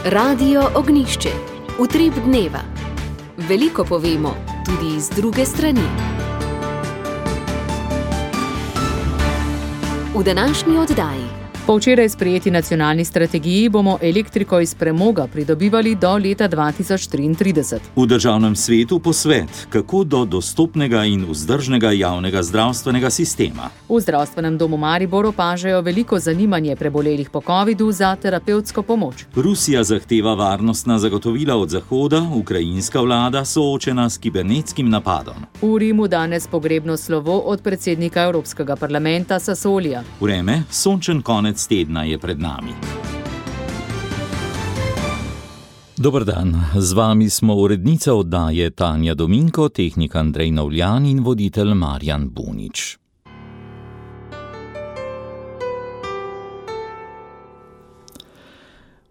Radio Ognjišče. Utrip dneva. Veliko povemo, tudi iz druge strani. V današnji oddaji. Po včeraj sprejeti nacionalni strategiji bomo elektriko iz premoga pridobivali do leta 2033. V državnem svetu posvet, kako do dostopnega in vzdržnega javnega zdravstvenega sistema. V zdravstvenem domu Maribor opažajo veliko zanimanje prebolelih po covidu za terapevtsko pomoč. Rusija zahteva varnostna zagotovila od Zahoda, ukrajinska vlada soočena s kibernetskim napadom. V Rimu danes pogrebno slovo od predsednika Evropskega parlamenta Sassolija. Vreme, sončen konec tedna je pred nami. Dober dan, z vami smo urednica oddaje Tanja Dominko, tehnik Andrej Novljan in voditelj Marjan Bunič.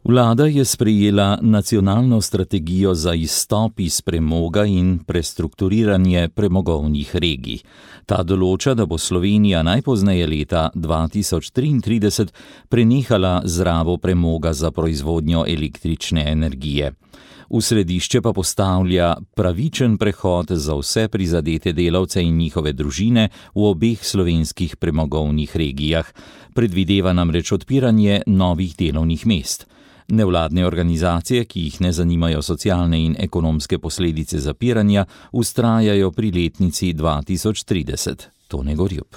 Vlada je sprejela nacionalno strategijo za izstop iz premoga in prestrukturiranje premogovnih regij. Ta določa, da bo Slovenija najpozneje leta 2033 prenehala z rabo premoga za proizvodnjo električne energije. V središče pa postavlja pravičen prehod za vse prizadete delavce in njihove družine v obeh slovenskih premogovnih regijah. Predvideva namreč odpiranje novih delovnih mest. Nevladne organizacije, ki jih ne zanimajo socialne in ekonomske posledice zapiranja, vztrajajo pri letnici 2030. Tone Gorjup.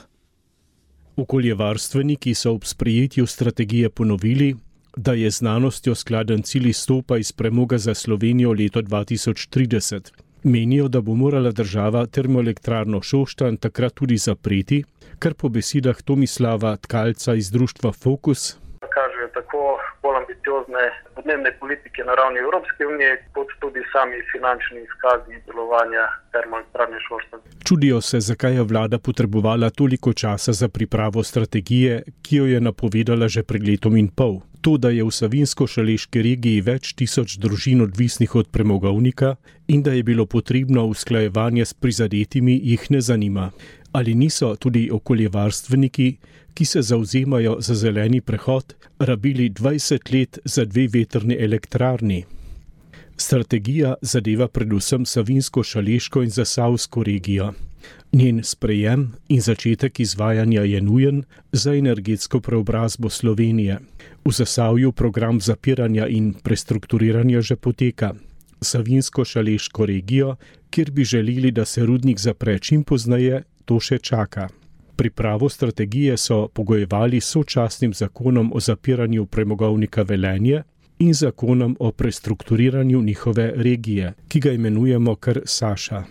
Okoljevarstveniki so ob sprejetju strategije ponovili, da je znanostjo skladen cilj izstopa iz premoga za Slovenijo leto 2030. Menijo, da bo morala država termoelektrarno Šoštanj takrat tudi zapreti, kar po besedah Tomislava Tkalca iz društva Fokus kažejo tako bolj ambiciozne podnebne politike na ravni Evropske unije, kot tudi sami finančni izkazi delovanja termoelektrarne Šoštanj. Čudijo se, zakaj je vlada potrebovala toliko časa za pripravo strategije, ki jo je napovedala že pred letom in pol. To, da je v Savinjsko-Šaleški regiji več tisoč družin odvisnih od premogovnika in da je bilo potrebno usklajevanje s prizadetimi, jih ne zanima. Ali niso tudi okoljevarstveniki, ki se zavzemajo za zeleni prehod, rabili 20 let za 2 vetrne elektrarni? Strategija zadeva predvsem Savinjsko-Šaleško in Zasavsko regijo. Njen sprejem in začetek izvajanja je nujen za energetsko preobrazbo Slovenije. V Zasavju program zapiranja in prestrukturiranja že poteka. Savinjsko-Šaleško regijo, kjer bi želeli, da se rudnik zapre čim pozneje, to še čaka. Pripravo strategije so pogojevali s sočasnim zakonom o zapiranju premogovnika Velenje in zakonom o prestrukturiranju njihove regije, ki ga imenujemo kar Saša.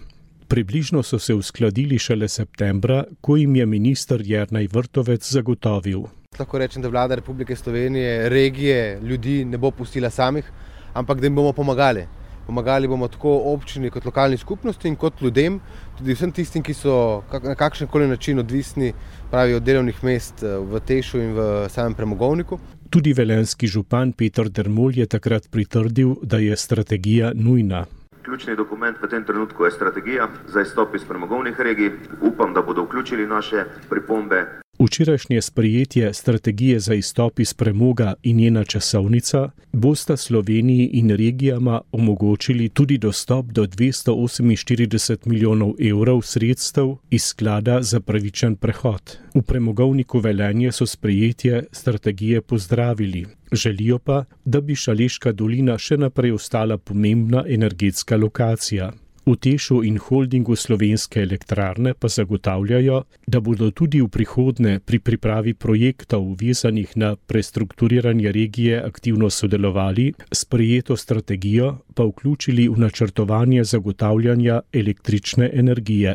Približno so se uskladili šele septembra, ko jim je minister Jernej Vrtovec zagotovil. Lahko rečem, da vlada Republike Slovenije regije ljudi ne bo pustila samih, ampak da jim bomo pomagali. Pomagali bomo tako občini kot lokalni skupnosti in kot ljudem, tudi vsem tistim, ki so na kakšenkoli način odvisni, pravi, od delovnih mest v Tešu in v samem premogovniku. Tudi velenjski župan Peter Dermol je takrat pritrdil, da je strategija nujna. Ključni dokument v tem trenutku je strategija za izstop iz premogovnih regij. Upam, da bodo vključili naše pripombe. Včerajšnje sprejetje strategije za izstop iz premoga in njena časovnica bosta Sloveniji in regijama omogočili tudi dostop do 248 milijonov evrov sredstev iz sklada za pravičen prehod. V premogovniku Velenje so sprejetje strategije pozdravili. Želijo pa, da bi Šaleška dolina še naprej ostala pomembna energetska lokacija. V Tešu in holdingu Slovenske elektrarne pa zagotavljajo, da bodo tudi v prihodnje pri pripravi projektov vezanih na prestrukturiranje regije aktivno sodelovali, sprejeto strategijo pa vključili v načrtovanje zagotavljanja električne energije.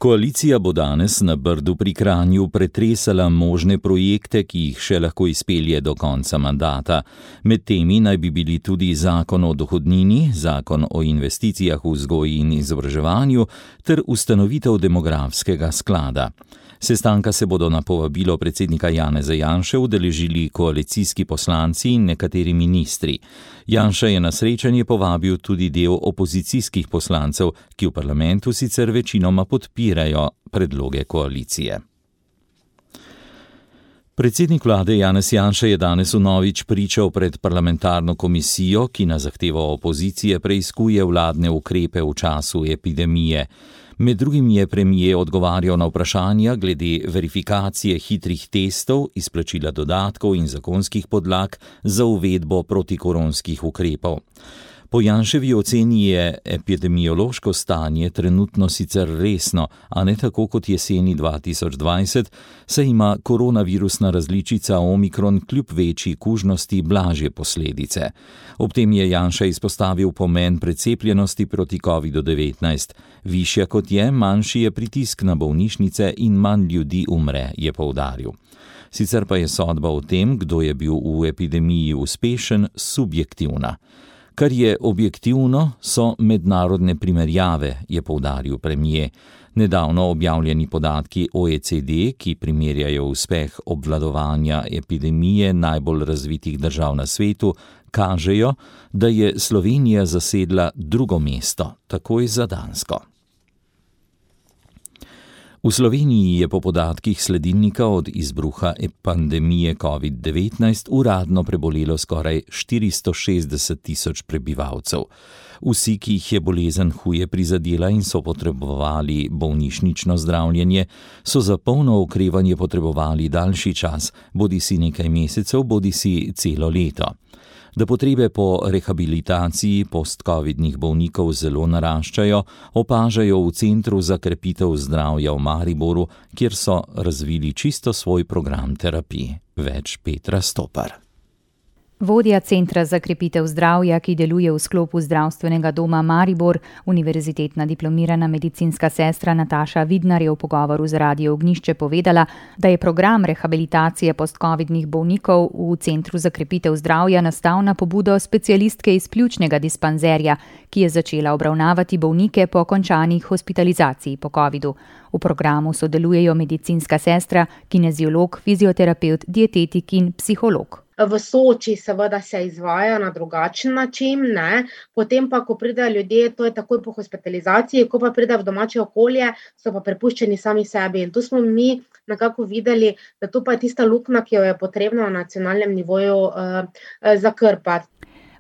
Koalicija bo danes na Brdu pri Kranju pretresala možne projekte, ki jih še lahko izpelje do konca mandata. Med temi naj bi bili tudi zakon o dohodnini, zakon o investicijah v vzgoji in izobraževanju ter ustanovitev demografskega sklada. Sestanka se bodo na povabilo predsednika Janeza Janše udeležili koalicijski poslanci in nekateri ministri. Janša je na srečanje povabil tudi del opozicijskih poslancev, ki v parlamentu sicer večinoma podpirajo predloge koalicije. Predsednik vlade Janez Janša je danes vnovič pričal pred parlamentarno komisijo, ki na zahtevo opozicije preiskuje vladne ukrepe v času epidemije. Med drugim je premier odgovarjal na vprašanja glede verifikacije hitrih testov, izplačila dodatkov in zakonskih podlag za uvedbo protikoronskih ukrepov. Po Janševi oceni je epidemiološko stanje trenutno sicer resno, a ne tako kot jeseni 2020, saj ima koronavirusna različica Omikron kljub večji kužnosti blažje posledice. Ob tem je Janša izpostavil pomen precepljenosti proti COVID-19. Višja kot je, manjši je pritisk na bolnišnice in manj ljudi umre, je poudaril. Sicer pa je sodba o tem, kdo je bil v epidemiji uspešen, subjektivna. Kar je objektivno, so mednarodne primerjave, je poudaril premier. Nedavno objavljeni podatki OECD, ki primerjajo uspeh obvladovanja epidemije najbolj razvitih držav na svetu, kažejo, da je Slovenija zasedla drugo mesto, takoj za Dansko. V Sloveniji je po podatkih sledilnika od izbruha pandemije COVID-19 uradno prebolelo skoraj 460.000 prebivalcev. Vsi, ki jih je bolezen huje prizadela in so potrebovali bolnišnično zdravljenje, so za polno okrevanje potrebovali daljši čas, bodisi nekaj mesecev, bodisi celo leto. Da potrebe po rehabilitaciji post-covidnih bolnikov zelo naraščajo, opažajo v Centru za krepitev zdravja v Mariboru, kjer so razvili čisto svoj program terapij. Več Petra Stopar. Vodja Centra za krepitev zdravja, ki deluje v sklopu zdravstvenega doma Maribor, univerzitetna diplomirana medicinska sestra Nataša Vidnar je v pogovoru z Radio Ognjišče povedala, da je program rehabilitacije postcovidnih bolnikov v Centru za krepitev zdravja nastal na pobudo specialistke iz pljučnega dispanzerja, ki je začela obravnavati bolnike po končani hospitalizaciji po covidu. V programu sodelujejo medicinska sestra, kineziolog, fizioterapevt, dietetik in psiholog. V Soči seveda se izvaja na drugačen način, ne? Potem pa, ko pridejo ljudje, to je takoj po hospitalizaciji, ko pa pridejo v domače okolje, so pa prepuščeni sami sebi. In tu smo mi nekako videli, da to pa je tista luknja, ki jo je potrebno na nacionalnem nivoju zakrpati.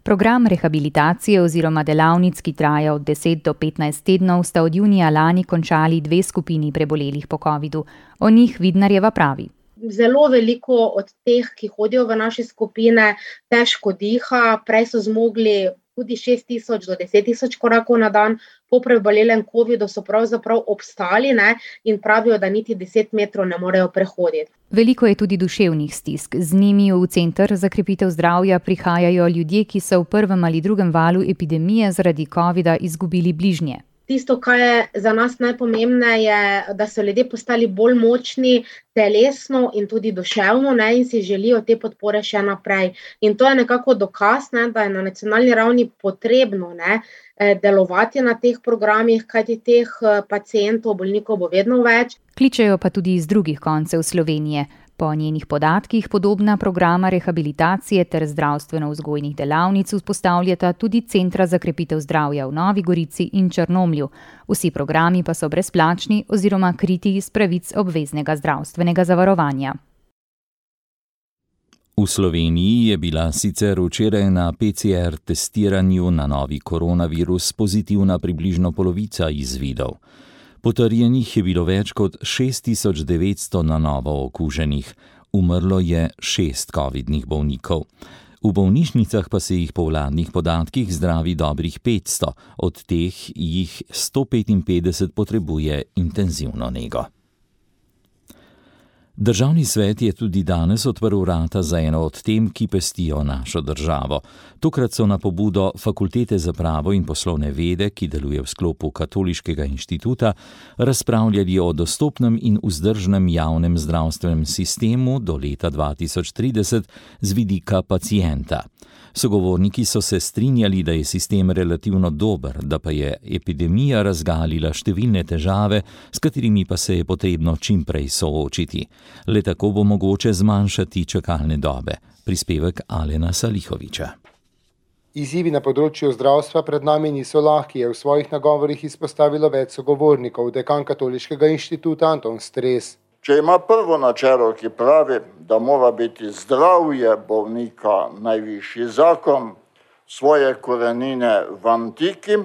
Program rehabilitacije oziroma delavnic, ki traja od 10 do 15 tednov, sta od junija lani končali 2 skupini prebolelih po covidu. O njih Vidnarjeva pravi. Zelo veliko od teh, ki hodijo v naše skupine, težko diha, prej so zmogli tudi 6.000 do 10.000 korakov na dan, po prebolelem covidu so pravzaprav obstali, ne, in pravijo, da niti 10 metrov ne morejo prehoditi. Veliko je tudi duševnih stisk. Z njimi v Center za krepitev zdravja prihajajo ljudje, ki so v prvem ali drugem valu epidemije zaradi covida izgubili bližnje. Tisto, kar je za nas najpomembneje, je, da so ljudje postali bolj močni telesno in tudi duševno, ne, in si želijo te podpore še naprej. In to je nekako dokaz, ne, da je na nacionalni ravni potrebno, ne, delovati na teh programih, kajti teh pacientov, bolnikov bo vedno več. Kličejo pa tudi iz drugih koncev Slovenije. Po njenih podatkih podobna programa rehabilitacije ter zdravstveno-vzgojnih delavnic vzpostavljata tudi Centra za krepitev zdravja v Novi Gorici in Črnomlju. Vsi programi pa so brezplačni oziroma kriti iz pravic obveznega zdravstvenega zavarovanja. V Sloveniji je bila sicer včeraj na PCR testiranju na novi koronavirus pozitivna približno polovica izvidov. Potrjenih je bilo več kot 6.900 na novo okuženih. Umrlo je 6 covidnih bolnikov. V bolnišnicah pa se jih po vladnih podatkih zdravi dobrih 500, od teh jih 155 potrebuje intenzivno nego. Državni svet je tudi danes odprl vrata za eno od tem, ki pestijo našo državo. Tokrat so na pobudo Fakultete za pravo in poslovne vede, ki deluje v sklopu Katoliškega inštituta, razpravljali o dostopnem in vzdržnem javnem zdravstvenem sistemu do leta 2030 z vidika pacienta. Sogovorniki so se strinjali, da je sistem relativno dober, da pa je epidemija razgalila številne težave, s katerimi pa se je potrebno čimprej soočiti. Le tako bo mogoče zmanjšati čakalne dobe. Prispevek Alena Salihoviča. Izzivi na področju zdravstva pred nami niso lahki, je v svojih nagovorih izpostavilo več sogovornikov, dekan Katoliškega inštituta Anton Stres. Če ima prvo načelo, ki pravi, da mora biti zdravje bolnika najvišji zakon, svoje korenine v antiki,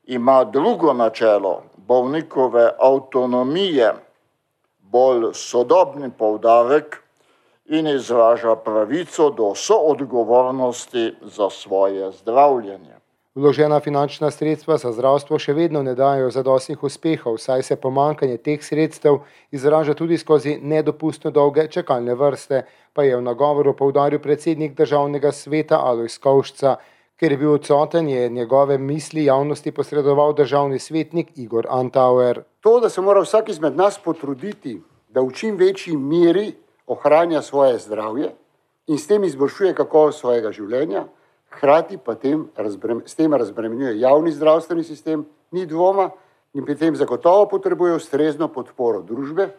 ima drugo načelo bolnikove avtonomije, bolj sodobni poudarek in izraža pravico do soodgovornosti za svoje zdravljenje. Vložena finančna sredstva za zdravstvo še vedno ne dajo zadostnih uspehov, saj se pomanjkanje teh sredstev izraža tudi skozi nedopustno dolge čakalne vrste, pa je v nagovoru poudaril predsednik Državnega sveta Alojz Kovšca. Ker je bil odsoten, je njegove misli javnosti posredoval državni svetnik Igor Antauer. To, da se mora vsak izmed nas potruditi, da v čim večji meri ohranja svoje zdravje in s tem izboljšuje kakovost svojega življenja, hkrati pa s tem razbremenjuje javni zdravstveni sistem, ni dvoma in pri tem zagotovo potrebuje ustrezno podporo družbe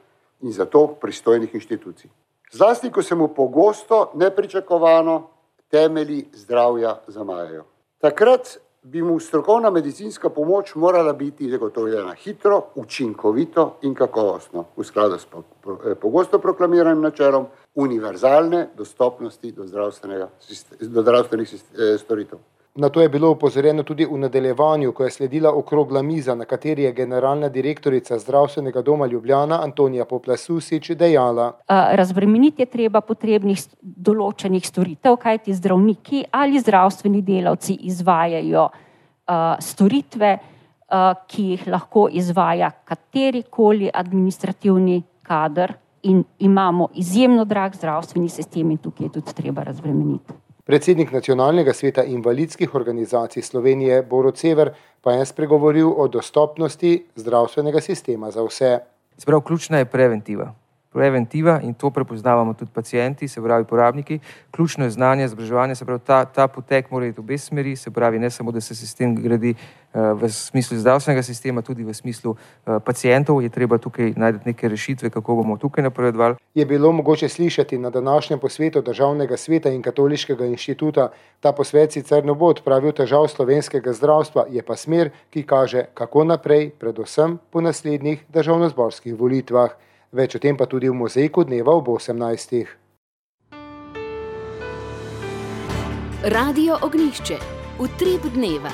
in zato pristojnih inštitucij. Zlasti, ko se mu pogosto, nepričakovano temelji zdravja zamajajo. Takrat bi mu strokovna medicinska pomoč morala biti zagotovljena hitro, učinkovito in kakovostno, v skladu s pogosto proklamiranim načelom univerzalne dostopnosti do zdravstvenih storitev. Na to je bilo upozorjeno tudi v nadaljevanju, ko je sledila okrogla miza, na kateri je generalna direktorica Zdravstvenega doma Ljubljana Antonija Poplas-Susič dejala. Razbremeniti je treba potrebnih določenih storitev, kajti zdravniki ali zdravstveni delavci izvajajo storitve, ki jih lahko izvaja katerikoli administrativni kader in imamo izjemno drag zdravstveni sistem in tukaj je tudi treba razbremeniti. Predsednik Nacionalnega sveta invalidskih organizacij Slovenije Borut Sever pa je spregovoril o dostopnosti zdravstvenega sistema za vse. Se pravi, ključna je preventiva. Preventiva in to prepoznavamo tudi pacienti, se pravi porabniki. Ključno je znanje, izobraževanje, se pravi ta potek mora iti v obe smeri, se pravi ne samo, da se sistem gradi v smislu zdravstvenega sistema, tudi v smislu pacientov, je treba tukaj najti neke rešitve, kako bomo tukaj napredovali. Je bilo mogoče slišati na današnjem posvetu Državnega sveta in Katoliškega inštituta. Ta posvet sicer ne bo odpravil težav slovenskega zdravstva, je pa smer, ki kaže, kako naprej, predvsem po naslednjih državnozborskih volitvah. Več o tem pa tudi v mozaiku dneva ob 18. Radio Ognjišče, utrip dneva.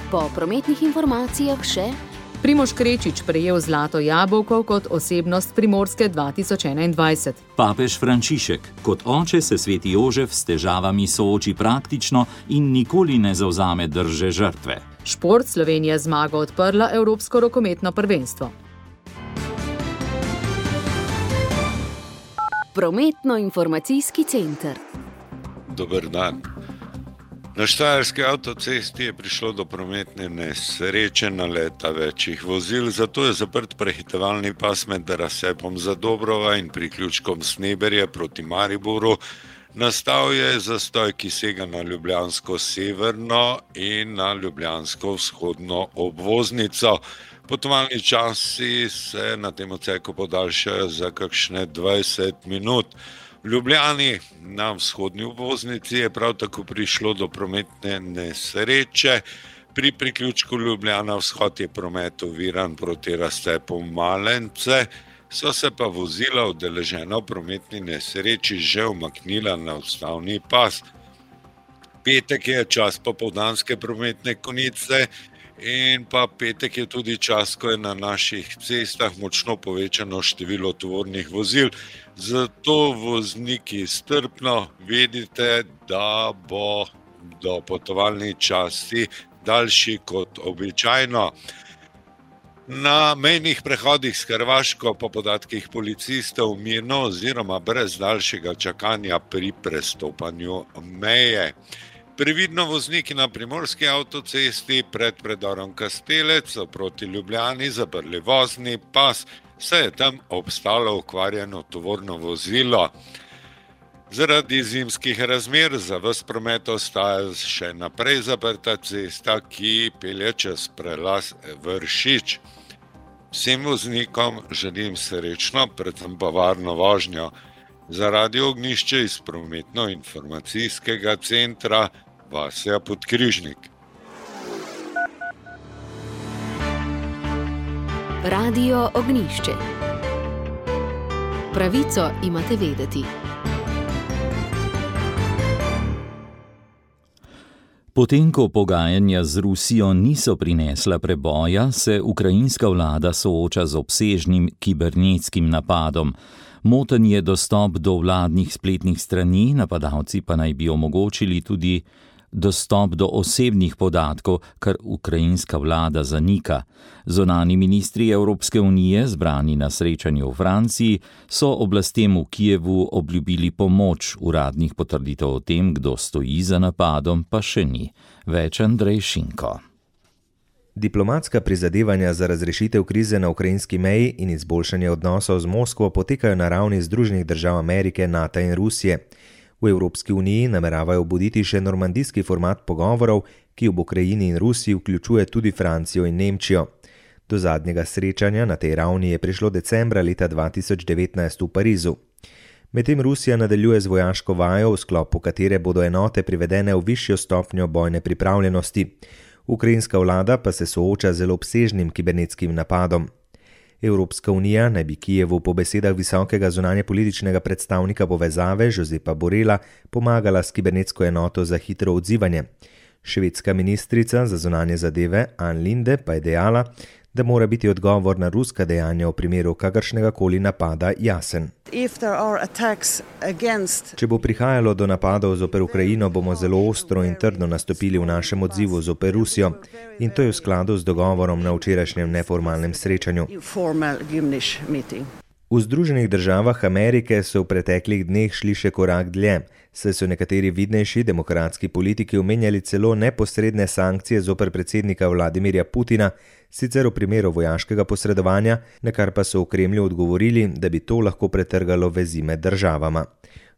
Po prometnih informacijah še Primož Krečič prejel zlato jabolko kot osebnost Primorske 2021. Papež Frančišek, kot oče se sveti Jožef s težavami sooči praktično in nikoli ne zavzame drže žrtve. Šport, Slovenija zmago odprla Evropsko rokometno prvenstvo. Prometno-informacijski center. Dober dan. Na Štajerski avtocesti je prišlo do prometne nesreče, naleta večjih vozil, zato je zaprt prehitevalni pas med razcepom Zadobrova in priključkom Sneberje proti Mariboru. Nastal je zastoj, ki sega na ljubljansko severno in na ljubljansko vzhodno obvoznico. Potovalni časi se na tem odseku podaljšajo za kakšne 20 minut. V Ljubljani na vzhodni obvoznici je prav tako prišlo do prometne nesreče. Pri priključku Ljubljana vzhod je promet oviran proti razcepu Malence, so se pa vozila udeležena v prometni nesreči že umaknila na odstavni pas. Petek je čas popoldanske prometne konice in pa petek je tudi čas, ko je na naših cestah močno povečano število tovornih vozil. Zato vozniki strpno vedite, da bo do potovalni časi daljši kot običajno. Na mejnih prehodih s Hrvaško po podatkih policistov mirno oziroma brez daljšega čakanja pri prestopanju meje. Previdno vozniki na primorski avtocesti pred predorom Kastelec proti Ljubljani zaprli vozni pas, saj je tam obstalo okvarjeno tovorno vozilo. Zaradi zimskih razmer za ves promet ostaja še naprej zaprta cesta, ki pelje čez prelaz Vršič. Vsem voznikom želim srečno, predvsem pa varno vožnjo. Za Radio Ognjišče iz prometno-informacijskega centra Vasja Podkrižnik. Radio Ognjišče. Pravico imate vedeti. Potem, ko pogajanja z Rusijo niso prinesla preboja, se ukrajinska vlada sooča z obsežnim kibernetskim napadom. Moten je dostop do vladnih spletnih strani, napadalci pa naj bi omogočili tudi dostop do osebnih podatkov, kar ukrajinska vlada zanika. Zunanji ministri Evropske unije, zbrani na srečanju v Franciji, so oblastem v Kijevu obljubili pomoč. Uradnih potrditev o tem, kdo stoji za napadom, pa še ni. Več Andrej Šinko. Diplomatska prizadevanja za razrešitev krize na ukrajinski meji in izboljšanje odnosov z Moskvo potekajo na ravni Združenih držav Amerike, NATO in Rusije. V Evropski uniji nameravajo obuditi še normandijski format pogovorov, ki v Ukrajini in Rusiji vključuje tudi Francijo in Nemčijo. Do zadnjega srečanja na tej ravni je prišlo decembra leta 2019 v Parizu. Medtem Rusija nadaljuje z vojaško vajo, v sklopu katere bodo enote privedene v višjo stopnjo bojne pripravljenosti. Ukrajinska vlada pa se sooča z zelo obsežnim kibernetskim napadom. Evropska unija naj bi Kijevu po besedah visokega zunanjepolitičnega predstavnika povezave Josepa Borrella pomagala s kibernetsko enoto za hitro odzivanje. Švedska ministrica za zunanje zadeve Ann Linde pa je dejala, da mora biti odgovor na ruska dejanja v primeru kakršnega koli napada jasen. Če bo prihajalo do napadov zoper Ukrajino, bomo zelo ostro in trdno nastopili v našem odzivu zoper Rusijo in to je v skladu z dogovorom na včerajšnjem neformalnem srečanju. V Združenih državah Amerike so v preteklih dneh šli še korak dlje, saj so nekateri vidnejši demokratski politiki omenjali celo neposredne sankcije zoper predsednika Vladimirja Putina, sicer v primeru vojaškega posredovanja, na kar pa so v Kremlju odgovorili, da bi to lahko pretrgalo vezi med državama.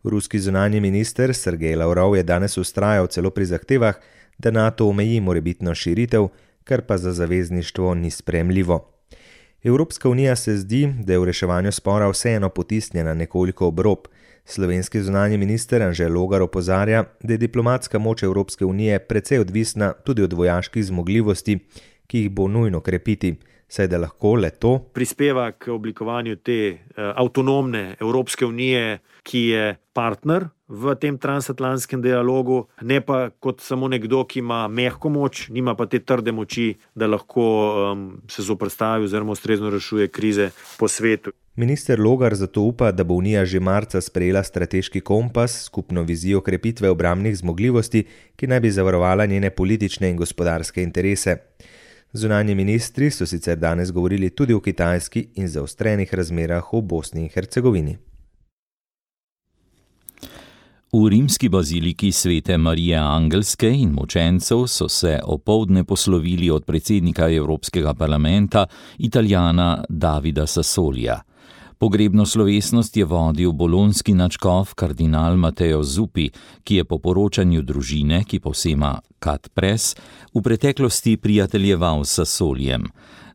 Ruski zunanji minister Sergej Lavrov je danes vztrajal celo pri zahtevah, da NATO omeji morebitno širitev, kar pa za zavezništvo ni sprejemljivo. Evropska unija se zdi, da je v reševanju spora vseeno potisnjena nekoliko ob rob. Slovenski zunanji minister Anže Logar opozarja, da je diplomatska moč Evropske unije precej odvisna tudi od vojaških zmogljivosti, ki jih bo nujno krepiti, saj da lahko le to prispeva k oblikovanju te avtonomne Evropske unije, ki je partner v tem transatlantskem dialogu, ne pa kot samo nekdo, ki ima mehko moč, nima pa te trde moči, da lahko se zoperstavi oziroma ustrezno rešuje krize po svetu. Minister Logar zato upa, da bo Unija že marca sprejela strateški kompas, skupno vizijo krepitve obrambnih zmogljivosti, ki naj bi zavarovala njene politične in gospodarske interese. Zunanji ministri so sicer danes govorili tudi o kitajski in zaostrenih razmerah v Bosni in Hercegovini. V rimski baziliki Svete Marije Angelske in mučencev so se opoldne poslovili od predsednika Evropskega parlamenta, Italijana Davida Sassolija. Pogrebno slovesnost je vodil bolonski nadškof kardinal Matteo Zuppi, ki je po poročanju družine, ki povsema Cat Press, v preteklosti prijateljeval s Sassolijem.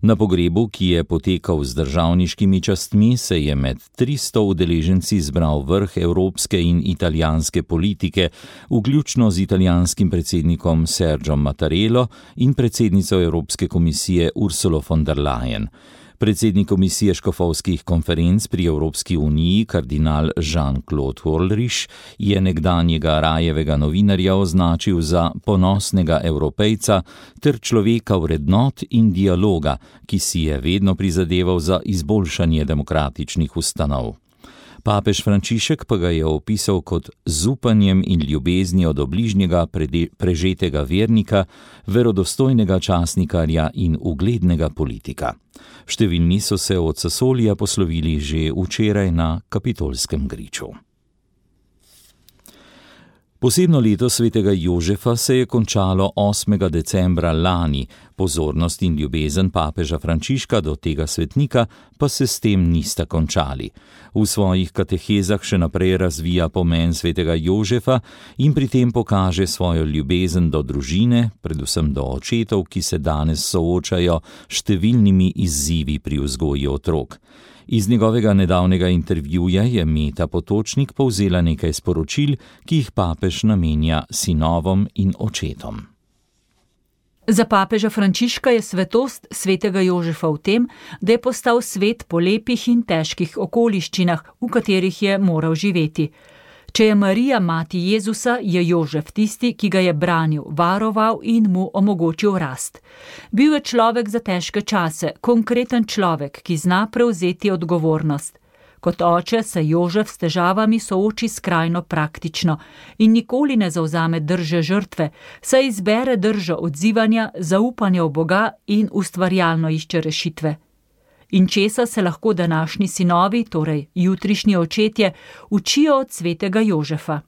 Na pogrebu, ki je potekal z državniškimi častmi, se je med 300 udeleženci zbral vrh evropske in italijanske politike, vključno z italijanskim predsednikom Sergiom Mattarello in predsednico Evropske komisije Ursulo von der Leyen. Predsednik komisije škofovskih konferenc pri Evropski uniji, kardinal Jean-Claude Ulrich, je nekdanjega Rajevega novinarja označil za ponosnega Evropejca ter človeka vrednot in dialoga, ki si je vedno prizadeval za izboljšanje demokratičnih ustanov. Papež Frančišek pa ga je opisal kot z upanjem in ljubeznijo do bližnjega prežetega vernika, verodostojnega časnikarja in uglednega politika. Številni so se od Sassolija poslovili že včeraj na Kapitolskem griču. Posebno leto svetega Jožefa se je končalo 8. decembra lani. Pozornost in ljubezen papeža Frančiška do tega svetnika pa se s tem nista končali. V svojih katehezah še naprej razvija pomen svetega Jožefa in pri tem pokaže svojo ljubezen do družine, predvsem do očetov, ki se danes soočajo številnimi izzivi pri vzgoji otrok. Iz njegovega nedavnega intervjuja je Meta Potočnik povzela nekaj sporočil, ki jih papež namenja sinovom in očetom. Za papeža Frančiška je svetost svetega Jožefa v tem, da je postal svet po lepih in težkih okoliščinah, v katerih je moral živeti. Če je Marija mati Jezusa, je Jožef tisti, ki ga je branil, varoval in mu omogočil rast. Bil je človek za težke čase, konkreten človek, ki zna prevzeti odgovornost. Kot oče se Jožef s težavami sooči skrajno praktično in nikoli ne zavzame drže žrtve, saj izbere držo odzivanja, zaupanja v Boga in ustvarjalno išče rešitve. In česa se lahko današnji sinovi, torej jutrišnji očetje, učijo od svetega Jožefa?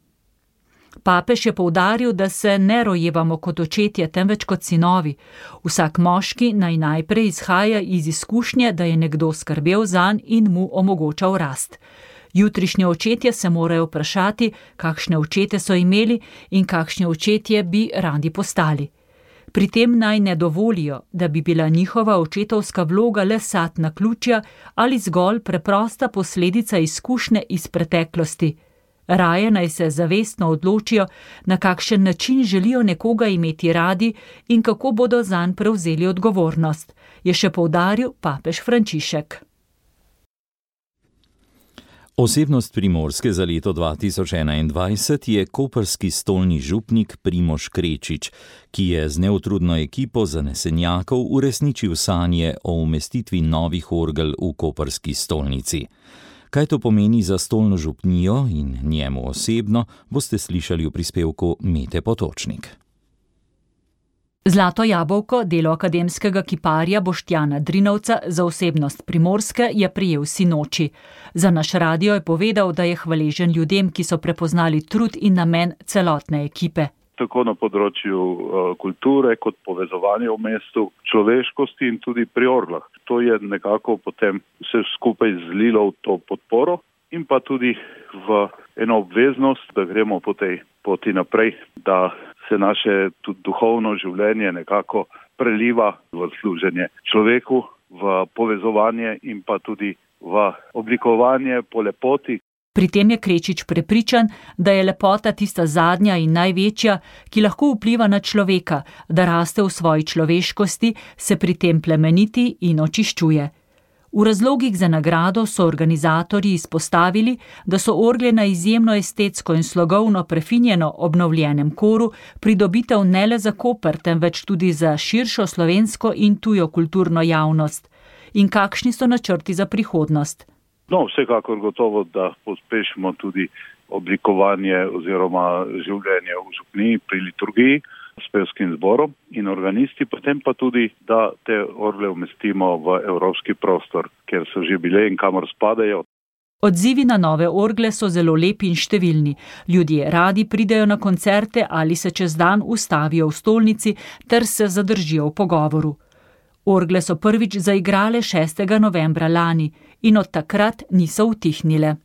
Papež je poudaril, da se ne rojevamo kot očetje, temveč kot sinovi. Vsak moški naj najprej izhaja iz izkušnje, da je nekdo skrbel zanj in mu omogočal rast. Jutrišnji očetje se morajo vprašati, kakšne očete so imeli in kakšne očetje bi radi postali. Pri tem naj ne dovolijo, da bi bila njihova očetovska vloga le sad naključja ali zgolj preprosta posledica izkušnje iz preteklosti. Raje naj se zavestno odločijo, na kakšen način želijo nekoga imeti radi in kako bodo zanj prevzeli odgovornost, je še poudaril papež Frančišek. Osebnost Primorske za leto 2021 je koprski stolni župnik Primož Krečič, ki je z neutrudno ekipo zanesenjakov uresničil sanje o umestitvi novih orgel v koprski stolnici. Kaj to pomeni za stolno župnijo in njemu osebno, boste slišali v prispevku Mete Potočnik. Zlato jabolko, delo akademskega kiparja Boštjana Drinovca za osebnost Primorske, je prejel sinoči. Za naš radio je povedal, da je hvaležen ljudem, ki so prepoznali trud in namen celotne ekipe. Tako na področju kulture, kot povezovanja v mestu, človeškosti in tudi pri orglah. To je nekako potem vse skupaj zlilo v to podporo in pa tudi v eno obveznost, da gremo po tej poti naprej, da se naše tudi duhovno življenje nekako preliva v služenje človeku, v povezovanje in pa tudi v oblikovanje po lepoti. Pri tem je Krečič prepričan, da je lepota tista zadnja in največja, ki lahko vpliva na človeka, da raste v svoji človeškosti, se pri tem plemeniti in očiščuje. V razlogih za nagrado so organizatorji izpostavili, da so orgle na izjemno estetsko in slogovno prefinjeno obnovljenem koru pridobitev ne le za Koper, temveč tudi za širšo slovensko in tujo kulturno javnost. In kakšni so načrti za prihodnost? No, vsekakor gotovo, da pospešimo tudi oblikovanje oziroma življenje v župniji pri liturgiji s pevskim zborom in organisti, potem pa tudi, da te orgle umestimo v evropski prostor, kjer so že bile in kamor spadajo. Odzivi na nove orgle so zelo lepi in številni. Ljudje radi pridejo na koncerte ali se čez dan ustavijo v stolnici ter se zadržijo v pogovoru. Orgle so prvič zaigrale 6. novembra lani in od takrat niso utihnile.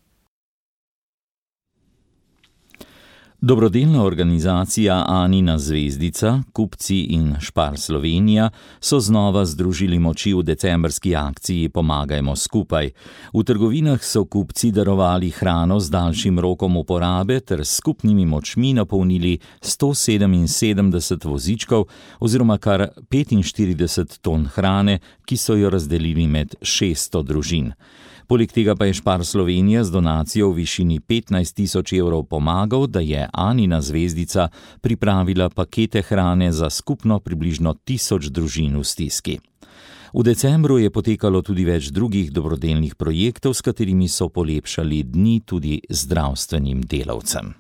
Dobrodelna organizacija Anina zvezdica, Kupci in Špar Slovenija so znova združili moči v decembrski akciji Pomagajmo skupaj. V trgovinah so kupci darovali hrano z daljšim rokom uporabe ter s skupnimi močmi napolnili 177 vozičkov oziroma kar 45 ton hrane, ki so jo razdelili med 600 družin. Poleg tega pa je Špar Slovenija z donacijo v višini 15.000 evrov pomagal, da je Anina zvezdica pripravila pakete hrane za skupno približno 1000 družin v stiski. V decembru je potekalo tudi več drugih dobrodelnih projektov, s katerimi so polepšali dni tudi zdravstvenim delavcem.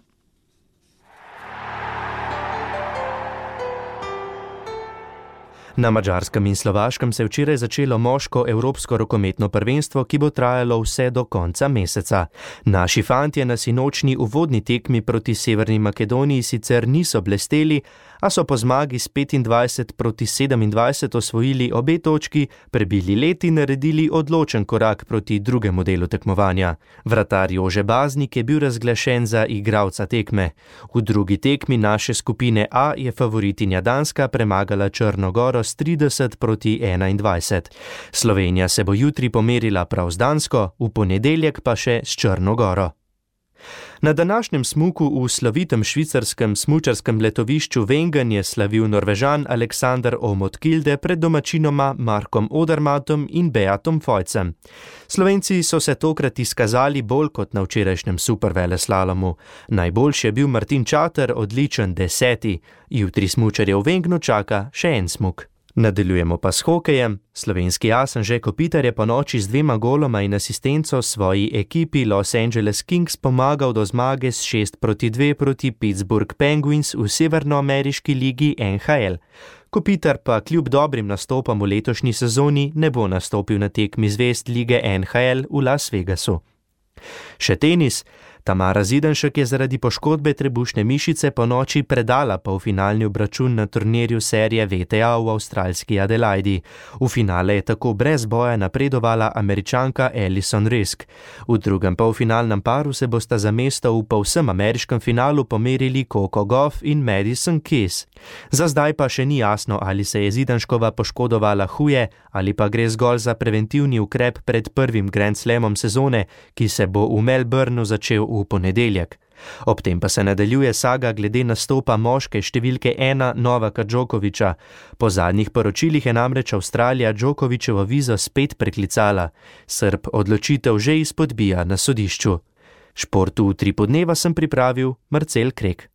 Na Madžarskem in Slovaškem se je včeraj začelo moško evropsko rokometno prvenstvo, ki bo trajalo vse do konca meseca. Naši fantje na sinočni uvodni tekmi proti Severni Makedoniji sicer niso blesteli, a so po zmagi s 25-27 osvojili obe točki, prebili led in naredili odločen korak proti drugemu delu tekmovanja. Vratar Jože Baznik je bil razglašen za igralca tekme. V drugi tekmi naše skupine A je favoritinja Danska premagala Črno Goro s 30-21. Slovenija se bo jutri pomerila prav z Dansko, v ponedeljek pa še s Črno Goro. Na današnjem smuku v slovitem švicarskem smučarskem letovišču Wengen je slavil Norvežan Alexander Aamodt Kilde pred domačinoma Markom Odermatom in Beatom Foycem. Slovenci so se tokrat izkazali bolj kot na včerajšnjem superveleslalomu. Najboljši je bil Martin Čater, odličen 10. Jutri smučarje v Wengenu čaka še en smuk. Nadaljujemo pa s hokejem. Slovenski as Anže Kopitar je po noči z 2 goloma in asistenco svoji ekipi Los Angeles Kings pomagal do zmage s 6-2 proti Pittsburgh Penguins v severnoameriški ligi NHL. Kopitar pa kljub dobrim nastopom v letošnji sezoni ne bo nastopil na tekmi zvezd lige NHL v Las Vegasu. Še tenis. Tamara Zidanšek je zaradi poškodbe trebušne mišice po noči predala polfinalni obračun na turnirju serije WTA v avstralski Adelaidi. V finale je tako brez boja napredovala Američanka Alison Risk. V drugem polfinalnem paru se bosta za mesto v povsem ameriškem finalu pomerili Coco Gauff in Madison Keys. Za zdaj pa še ni jasno, ali se je Zidanškova poškodovala huje ali pa gre zgolj za preventivni ukrep pred prvim Grand Slamom sezone, ki se bo v Melbourneu začel v ponedeljek. Ob tem pa se nadaljuje saga glede nastopa moške številke 1 Novaka Djokovića. Po zadnjih poročilih je namreč Avstralija Djokovićevo vizo spet preklicala. Srb odločitev že izpodbija na sodišču. Športu v 3 podneva sem pripravil Marcel Krek.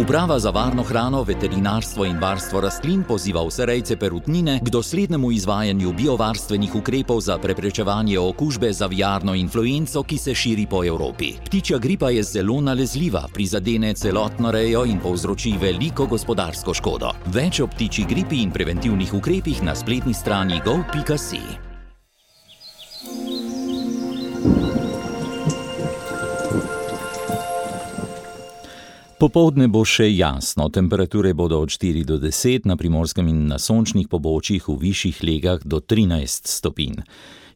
Uprava za varno hrano, veterinarstvo in varstvo rastlin poziva vse rejce perutnine k doslednemu izvajanju biovarstvenih ukrepov za preprečevanje okužbe z aviarno influenco, ki se širi po Evropi. Ptičja gripa je zelo nalezljiva, prizadene celotno rejo in povzroči veliko gospodarsko škodo. Več o ptičji gripi in preventivnih ukrepih na spletni strani gov.si. Popoldne bo še jasno, temperature bodo od 4 do 10, na primorskem in na sončnih pobočjih v višjih legah do 13 stopinj.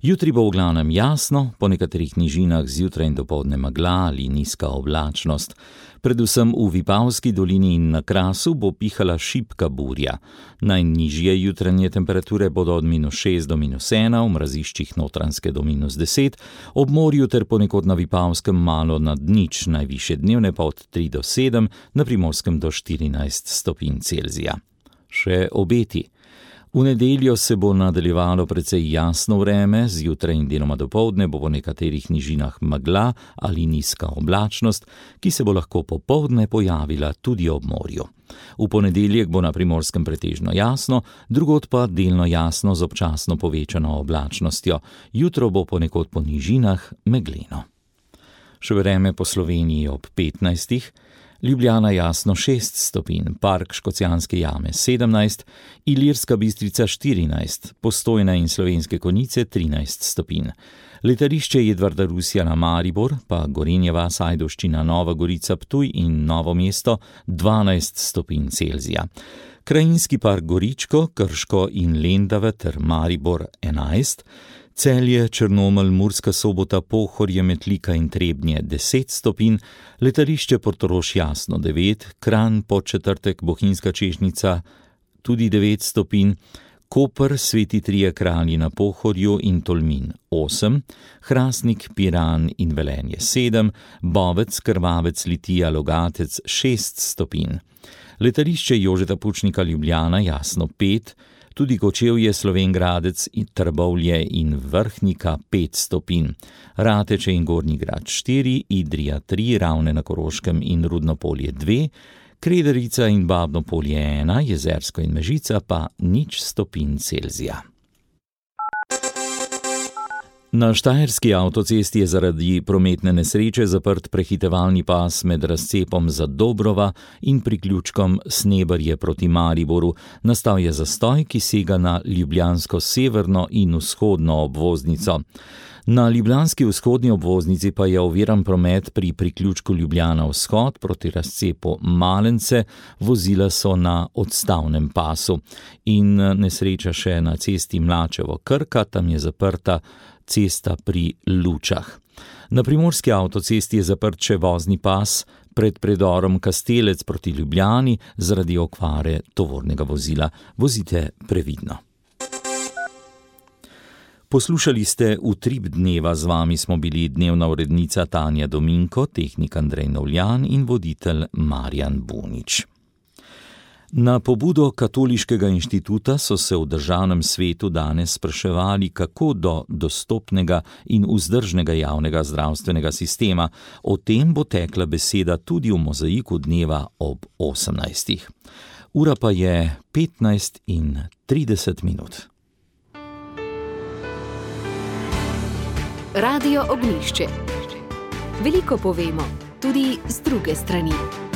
Jutri bo v glavnem jasno, po nekaterih nižinah zjutraj in dopoldne megla ali nizka oblačnost. Predvsem v Vipavski dolini in na Krasu bo pihala šibka burja. Najnižje jutranje temperature bodo od -6 do -1, v mraziščih Notranjske do -10, ob morju ter ponekod na Vipavskem malo nad nič, najvišje dnevne pa od 3 do 7, na Primorskem do 14 stopinj Celzija. Še obeti. V nedeljo se bo nadaljevalo precej jasno vreme, zjutraj in deloma dopoldne bo po nekaterih nižinah megla ali nizka oblačnost, ki se bo lahko popoldne pojavila tudi ob morju. V ponedeljek bo na Primorskem pretežno jasno, drugod pa delno jasno z občasno povečano oblačnostjo. Jutro bo ponekod po nižinah megleno. Še vreme po Sloveniji ob 15. Ljubljana jasno 6 stopinj, Park Škocjanske jame 17, Ilirska Bistrica 14, Postojna in Slovenske Konjice 13 stopinj. Letališče Edvarda Rusjana Maribor, pa Gorenja vas, Ajdovščina, Nova Gorica, Ptuj in Novo mesto 12 stopinj Celzija. Krajinski park Goričko, Krško in Lendava ter Maribor 11, Celje, Črnomelj, Murska Sobota, Pohorje, Metlika in Trebnje 10 stopinj, letališče Portorož jasno 9, Kranj, Podčetrtek, Bohinjska Češnjica tudi 9 stopinj, Koper, Sveti Trije Kralji na Pohorju in Tolmin 8, Hrastnik, Piran in Velenje 7, Bovec, Krvavec, Litija, Logatec 6 stopinj. Letališče Jožeta Pučnika Ljubljana jasno 5, tudi Kočevje, Slovenj Gradec, Trbovlje in Vrhnika 5 stopinj, Rateče in Gornji Grad 4, Idrija 3, Ravne na Koroškem in Rudnopolje 2, Krederica in Babno Polje 1, Jezersko in Mežica pa 0 stopinj Celzija. Na štajerski avtocesti je zaradi prometne nesreče zaprt prehitevalni pas med razcepom za Dobrova in priključkom Sneberje proti Mariboru. Nastal je zastoj, ki sega na ljubljansko severno in vzhodno obvoznico. Na ljubljanski vzhodni obvoznici pa je oviran promet pri priključku Ljubljana vzhod proti razcepu Malence, vozila so na odstavnem pasu. In nesreča še na cesti Mlačevo Krka, tam je zaprta cesta pri Lučah. Na primorski avtocesti je zaprt še vozni pas pred predorom Kastelec proti Ljubljani zaradi okvare tovornega vozila. Vozite previdno. Poslušali ste Utrip dneva, z vami smo bili dnevna urednica Tanja Dominko, tehnik Andrej Novljan in voditelj Marjan Bunič. Na pobudo Katoliškega inštituta so se v Državnem svetu danes spraševali, kako do dostopnega in vzdržnega javnega zdravstvenega sistema. O tem bo tekla beseda tudi v Mozaiku dneva ob 18. Ura pa je 15:30. Radio Ognjišče. Veliko povemo, tudi z druge strani.